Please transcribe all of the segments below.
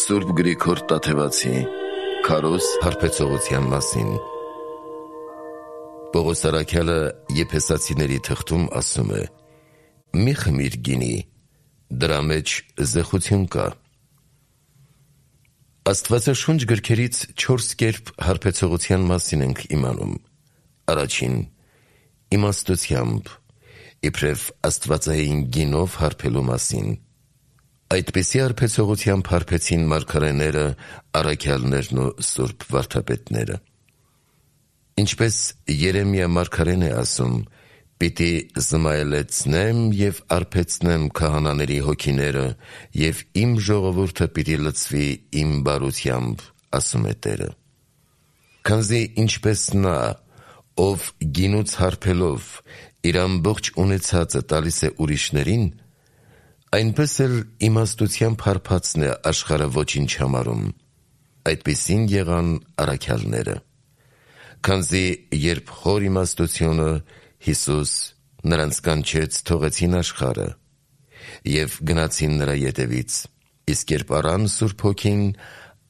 Սուրբ Գրիգոր Տաթևացի Քարոզ հարբեցողության մասին։ Պողոս առաքյալը Եփեսացիների թղթում ասում է. «Մի խմիր գինի, դրա մեջ զեխություն կա»։ Աստվածաշունչ գրքերից 4 կերպ հարբեցողության մասին ենք իմանում։ Առաջին՝ իմաստությամբ, իբրև աստվածային գինով հարբելու մասին։ Այդպիսի հարբեցողությամբ հարբեցին մարգարեները, առաքյալներն ու սուրբ վարդապետները։ Ինչպես Երեմիա մարգարեն է ասում. «Պիտի զմայելեցնեմ և արբեցնեմ քահանաների հոգիները, և իմ ժողովուրդը պիտի լցվի իմ բարությամբ», ասում է Տերը։ Քանզի ինչպես նա, ով գինուց հարբելով իր ամբողջ ունեցածը տալիս է ուրիշներին, այնպես էլ իմաստությամբ հարբածն է աշխարհը ոչինչ համարում։ Այդպիսին եղան առաքյալները։ Քանզի երբ հոր իմաստությունը Հիսուս նրանց կանչեց, թողեցին աշխարհը և գնացին նրա ետևից, իսկ երբ առան Սուրբ Հոգին,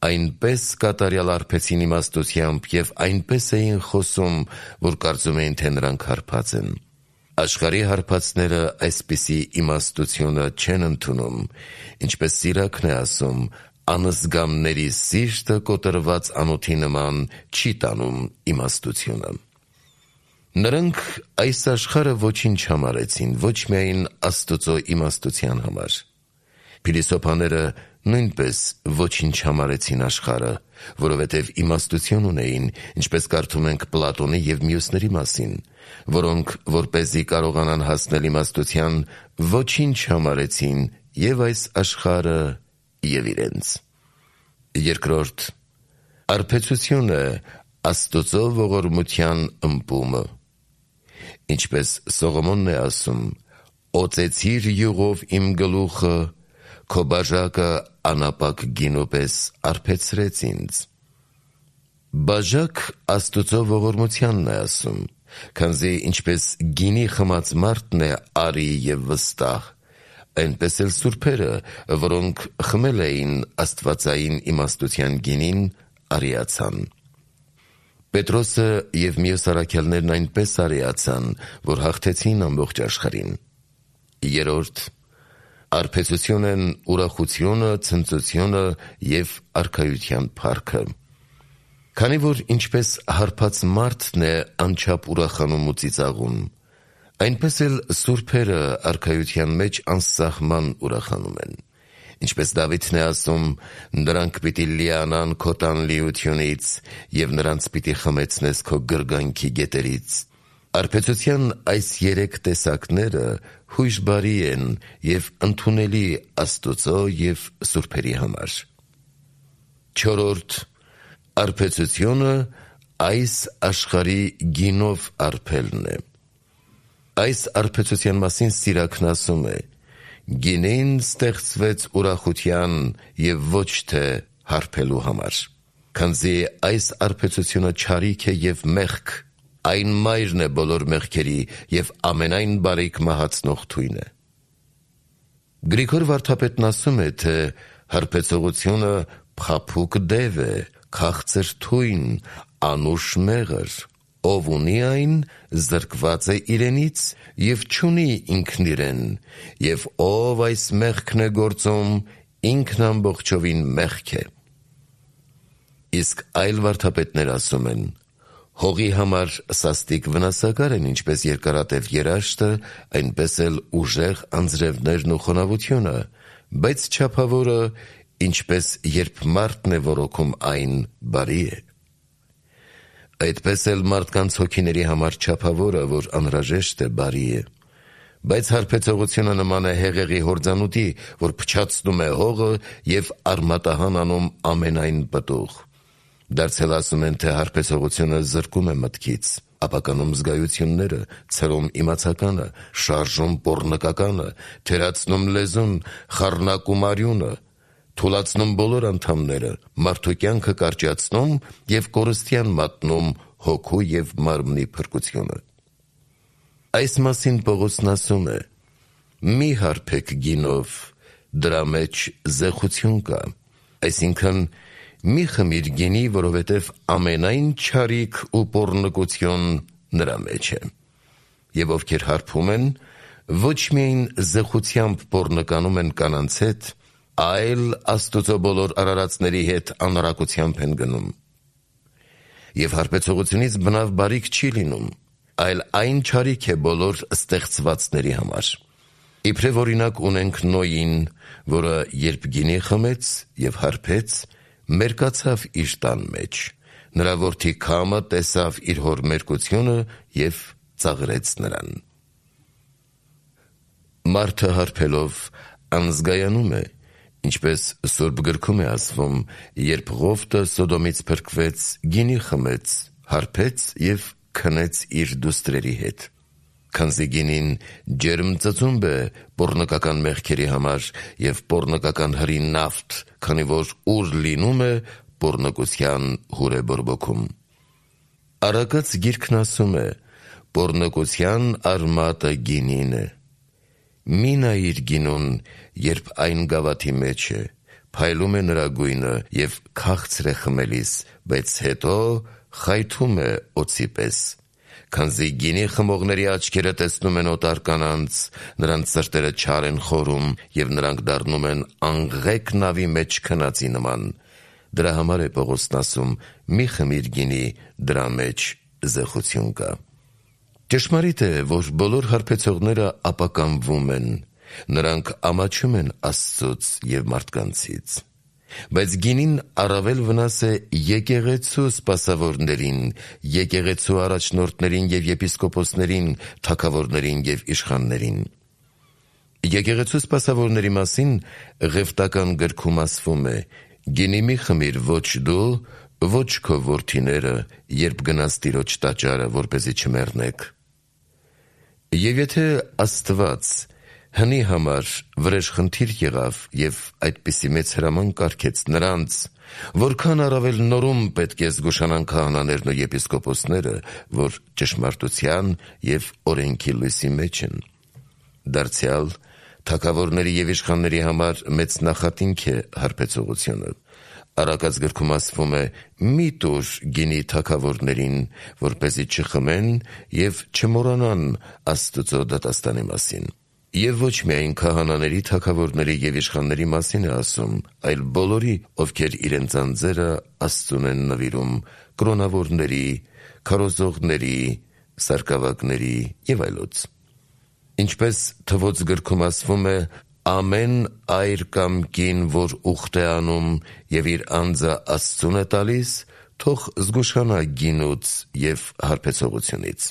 այնպես կատարյալ հարբեցին իմաստությամբ և այնպես էին խոսում, որ կարծում էին, թե նրանք հարբած են։ Աշխարհի հարբածները այսպիսի իմաստությունը չեն ընդունում, ինչպես Սիրակն է ասում. «Անզգամների սիրտը կոտրված անոթի նման չի տանում իմաստությունը»։ Նրանք այս աշխարհը ոչինչ համարեցին, ոչ միայն Աստծո իմաստության համար։ Փիլիսոփաները նույնպես ոչինչ համարեցին աշխարհը, որովհետև իմաստություն ունեին, ինչպես կարդում ենք Պլատոնի և մյուսների մասին, որոնք, որպեսզի կարողանան հասնել իմաստության, ոչինչ համարեցին և այս աշխարհը, և իրենց։ Երկրորդ՝ արբեցությունը Աստծո ողորմության ըմպումը։ Ինչպես Սողոմոնն է ասում. «Օծեցիր յուղով իմ գլուխը, քո բաժակը անապակ գինու պես արբեցրեց ինձ»։ Բաժակ Աստծո ողորմությանն է ասում, քանզի ինչպես գինի խմած մարդն է արի և վստահ, այնպես էլ սուրբերը, որոնք խմել էին աստվածային իմաստության գինին, արիացան։ Պետրոսը և մյուս առաքյալներն այնպես արիացան, որ հաղթեցին ամբողջ աշխարհին։ Երրորդ՝ արբեցություն են ուրախությունը, ցնծությունը և արքայության փառքը։ Քանի որ ինչպես հարբած մարդն է անչափ ուրախանում ու ծիծաղում, այնպես էլ սուրբերը արքայության մեջ անսահման ուրախանում են։ Ինչպես Դավիթն է ասում. «Նրանք պիտի լիանան քո տանլիությունից, և նրանց պիտի խմեցնես քո գրգանքի գետերից»։ Արբեցության այս 3 տեսակները հույժ բարի են և ընդունելի Աստծո և սուրբերի համար։ Չորրորդ՝ արբեցությունը այս աշխարհի գինով արբելն է։ Այս արբեցության մասին Սիրակն ասում է. «Գինին ստեղծվեց ուրախության և ոչ թե հարբելու համար»։ Քանզի այս արբեցությունը չարիք է և մեղք, այն մայրն է բոլոր մեղքերի և ամենայն բարիք մահացնող թույնը։ Գրիգոր վարդապետն ասում է, թե հարբեցողությունը փափուկ դև է, քաղցր թույն, անուշ մեղր, ով ունի այն, զրկված է իրենից և չունի ինքն իրեն, և ով այս մեղքն է գործում, ինքն ամբողջովին մեղք է։ Իսկ այլ վարդապետներ ասում են. հողի համար սաստիկ վնասակար են ինչպես երկարատև երաշտը, այնպես էլ ուժեղ անձրևներն ու խոնավությունը, բայց չափավորը, ինչպես երբ մարդն է որոքում այն, բարի է։ Այդպես էլ մարդկանց հոգիների համար չափավորը, որ անհրաժեշտ է, բարի է։ Բայց հարբեցողությունը նման է հեղեղի հորձանուտի, որ փչացնում է հողը և արմատահան անում ամենայն պտուղ։ Դարձել ասում են, թե հարբեցողությունը զրկում է մտքից, ապականում զգայությունները, ցրում իմացականը, շարժում պոռնկականը, թերացնում լեզուն, խառնակում արյունը, թուլացնում բոլոր անդամները, մարդու կյանքը կարճացնում և կորստյան մատնում հոգու և մարմնի փրկությունը։ Այս մասին Պողոսն ասում է. «Մի հարբեք գինով, դրա մեջ զեխություն կա, Այսինքն մի խմիր գինի, որովհետև ամենայն չարիք ու պոռնկություն նրա մեջ է։ Եվ ովքեր հարբում են, ոչ միայն զղությամբ պոռնականում են կանանց հետ, այլ Աստծո բոլոր արարածների հետ անառակությամբ են գնում։ Եվ հարբեցողությունից բնավ բարիք չի լինում, այլ այն չարիք է բոլոր ստեղծվածների համար։ Իբրև օրինակ ունենք Նոյին, որը երբ գինի խմեց և հարբեց, մերկացավ իր տան մեջ, նրա որդի Քամը տեսավ իր հոր մերկությունը և ծաղրեց նրան։ Մարդը հարբելով անզգայանում է, ինչպես Սուրբ գրքում է ասվում, երբ Ղովտը Սոդոմից փրկվեց, գինի խմեց, հարբեց և քնեց իր դուստրերի հետ։ Քանզի գինին ջերմ ծծումբ է պոռնկական մեղքերի համար և պոռնկական հրի նավթ, քանի որ ուր լինում է, պոռնկության հուր է բորբոքում։ Առակաց գիրքն ասում է. պոռնկության արմատը գինին է։ Մի նայիր գինուն, երբ այն գավաթի մեջ է, փայլում է նրա գույնը և քաղցր է խմելիս, բայց հետո խայթում է օձի պես։ Քանզի գինի խմողների աչքերը տեսնում են օտար կանանց, նրանց սրտերը չար են խորում և նրանք դառնում են անգղեք նավի մեջ քնածի նման։ Դրա համար է Պողոսն ասում. մի խմիր գինի, դրա մեջ զեղություն կա։ Ճշմարիտ է, որ բոլոր հարբեցողները ապականվում են, նրանք ամաչում են Աստծուց և մարդկանցից։ Բայց գինին առավել վնաս է եկեղեցու սպասավորներին, եկեղեցու առաջնորդներին և եպիսկոպոսներին, թագավորներին և իշխաններին։ Եկեղեցու սպասավորների մասին Ղևտական գրքում ասվում է. «Գինի մի խմիր ոչ դու, ոչ քո որդիները, երբ գնաս Տիրոջ տաճարը, որպեսզի չմեռնեք»։ Եվ եթե Աստված հնի համար վրեժխնդիր եղավ և այդպիսի մեծ հրաման կարգեց նրանց, որքան առավել նորում պետք է զգուշանան քահանաներն ու եպիսկոպոսները, որ ճշմարտության և օրենքի լույսի մեջ են։ Դարձյալ թագավորների և իշխանների համար մեծ նախատինք է հարբեցողությունը։ Առակաց գրքում ասվում է. մի տուր գինի թագավորներին, որպեսզի չխմեն և չմոռանան Աստծո դատաստանի մասին։ Եվ ոչ միայն քահանաների, թագավորների և իշխանների մասին է ասում, այլ բոլորի, ովքեր իրենց անձերը Աստծուն են նվիրում, կրոնավորների, քարոզողների, սարկավագների և այլոց։ Ինչպես Թվոց գրքում ասվում է. ամեն այր կամ կին, որ ուխտ է անում և իր անձը Աստծուն է տալիս, թող զգուշանա գինուց և հարբեցողությունից։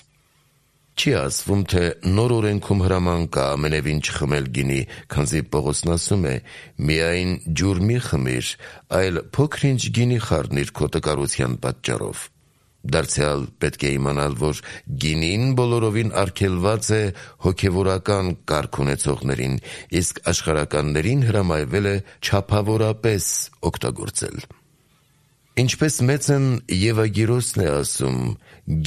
Չի ասվում, թե նոր օրենքում հրաման կա ամենևին չխմել գինի, քանզի Պողոսն ասում է. միայն ջուր մի խմիր, այլ փոքր-ինչ գինի խառնիր քո տկարության պատճառով։ Դարձյալ պետք է իմանալ, որ գինին բոլորովին արգելված է հոգևորական կարգ ունեցողներին, իսկ աշխարհականներին հրամայվել է չափավորապես օգտագործել։ Ինչպես մեծն Եվագիրոսն է ասում.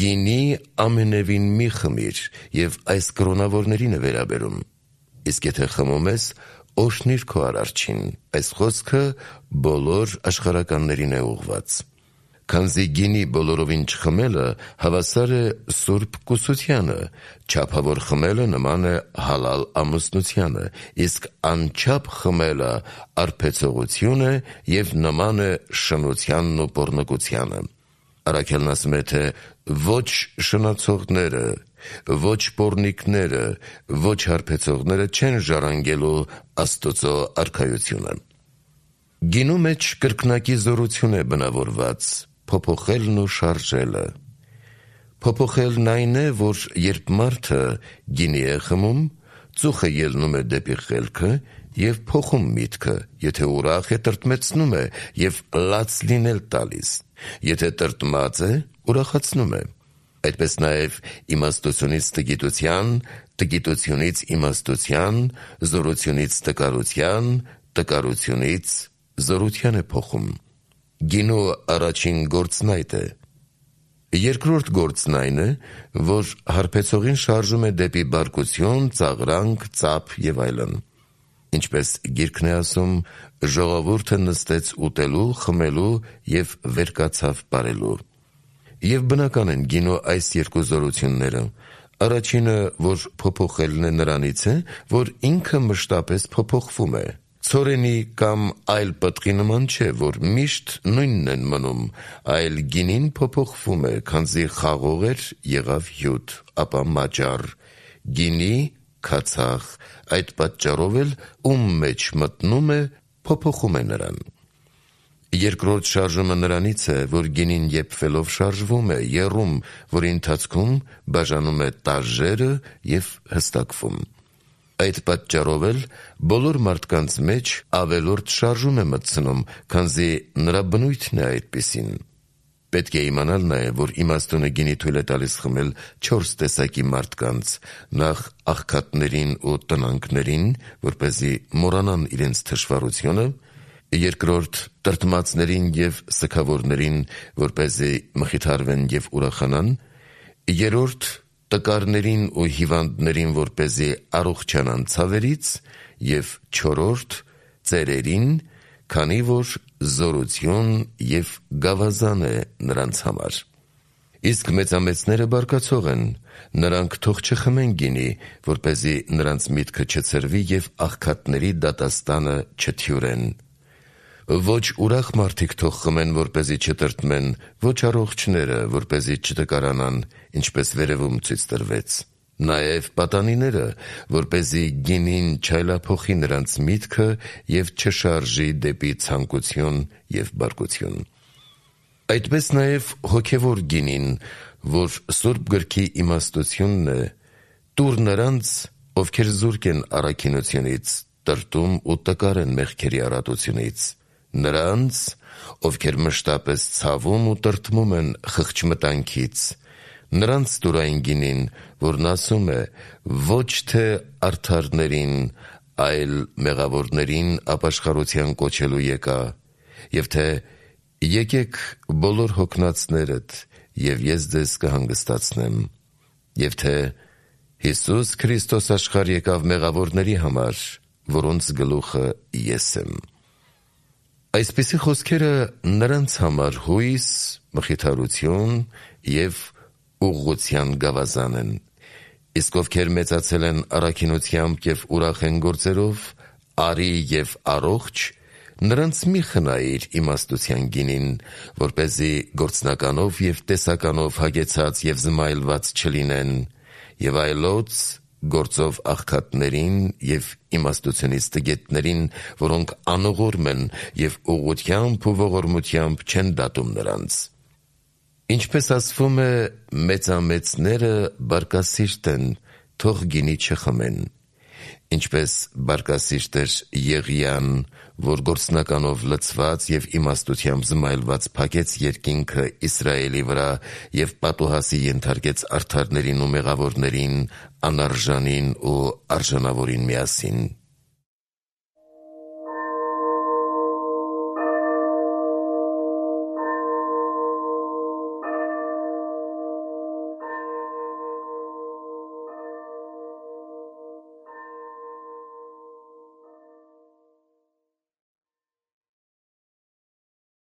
«Գինի ամենևին մի խմիր», և այս կրոնավորներին է վերաբերում։ Իսկ եթե խմում ես, օրհնիր քո Արարչին։ Այս խոսքը բոլոր աշխարհականներին է ուղղված։ Քանզի գինի բոլորովին չխմելը հավասար է սուրբ կուսությանը, չափավոր խմելը նման է հալալ ամուսնությանը, իսկ անչափ խմելը արբեցողություն է և նման է շնությանն ու պոռնկությանը։ Առաքյալն ասում է, թե ոչ շնացողները, ոչ պոռնիկները, ոչ հարբեցողները չեն ժառանգելու Աստծո արքայությունը։ Գինու մեջ կրկնակի զորություն է բնավորված, փոփոխելն ու շարժելը։ Փոփոխելն այն է, որ երբ մարդը գինի է խմում, ծուխը ելնում է դեպի խելքը և փոխում միտքը, եթե ուրախ է, տրտմեցնում է և լաց լինել տալիս, եթե տրտմած է, ուրախացնում է։ Այդպես նաև իմաստությունից տգիտության, տգիտությունից իմաստության, զորությունից տկարության, տկարությունից զորության է փոխում։ Գինու առաջին գործն այդ է։ Երկրորդ գործն այն է, որ հարբեցողին շարժում է դեպի բարկություն, ծաղրանք, ծափ և այլն։ ինչպես գիրքն է ասում, ժողովուրդը նստեց ուտելու, խմելու և վերկացավ պարելու։ Եվ բնական են գինու այս երկու զորությունները։ Առաջինը, որ փոփոխելն է, նրանից է, որ ինքը մշտապես փոփոխվում է։ Ցորենի կամ այլ պտղի նման չէ, որ միշտ նույնն են մնում, այլ գինին փոփոխվում է, քանզի խաղող էր, եղավ հյութ, ապա մաճառ, գինի քացախ, այդ պատճառով էլ ում մեջ մտնում է, փոփոխում է նրան։ Երկրորդ շարժումը նրանից է, որ գինին եփվելով շարժվում է, եռում, որի ընթացքում բաժանում է տարրերը և հստակվում։ Այդ պատճառով էլ բոլոր մարդկանց մեջ ավելորդ շարժում է մտցնում, քանզի նրա բնույթն է այդպիսին։ Պետք է իմանալ նաև, որ իմաստունը գինի թույլ է տալիս խմել 4 տեսակի մարդկանց, նախ աղքատներին ու տնանքներին, որպեսզի մոռանան իրենց թշվառությունը, երկրորդ տրտմածներին և սգավորներին, որպեսզի մխիթարվեն և ուրախանան, երրորդ տկարներին ու հիվանդներին, որպեսզի առողջանան ցավերից, և չորրորդ ծերերին, քանի որ զորություն և գավազան է նրանց համար։ Իսկ մեծամեծները բարկացող են, նրանք թող չխմեն գինի, որպեսզի նրանց միտքը չցրվի և աղքատների դատաստանը չթյուրեն։ Ոչ ուրախ մարդիկ թող խմեն, որպեսզի չտրտմեն, ոչ առողջները, որպեսզի չտկարանան, ինչպես վերևում ցույց տրվեց։ Նաև պատանիները, որպեսզի գինին չայլափոխի նրանց միտքը և չշարժի դեպի ցանկություն և բարկություն։ Այդպես նաև հոգևոր գինին, որ Սուրբ Գրքի իմաստությունն է, տուր նրանց, ովքեր զուրկ են առաքինությունից, տրտում ու տկար են մեղքերի առատությունից, նրանց, ովքեր մշտապես ցավում ու տրտմում են խղճմտանքից, նրանց տուր այն գինին, որն ասում է, ոչ թե արդարներին, այլ մեղավորներին ապաշխարության կոչելու եկա, և թե եկեք բոլոր հոգնածներդ, և ես ձեզ կհանգստացնեմ, և թե Հիսուս Քրիստոս աշխարհ եկավ մեղավորների համար, որոնց գլուխը ես եմ։ Այսպիսի խոսքերը նրանց համար հույս, մխիթարություն և ուղղության գավազան են, իսկ ովքեր մեծացել են առաքինությամբ և ուրախ են գործերով, արի և առողջ, նրանց մի խնայիր իմաստության գինին, որպեսզի գործնականով և տեսականով հագեցած և զմայլված չլինեն, և այլոց գործով աղքատներին և իմաստությունից տգետներին, որոնք անողորմ են և ուղղությամբ ու ողորմությամբ չեն դատում նրանց։ Ինչպես ասվում է, մեծամեծները բարկասիրտ են, թող գինի չխմեն, ինչպես բարկասիրտ էր Եղիան, որ գործնականով լցված և իմաստությամբ զմայլված փակեց երկինքը Իսրայելի վրա և պատուհասի ենթարկեց արդարներին ու մեղավորներին, անարժանին ու արժանավորին միասին։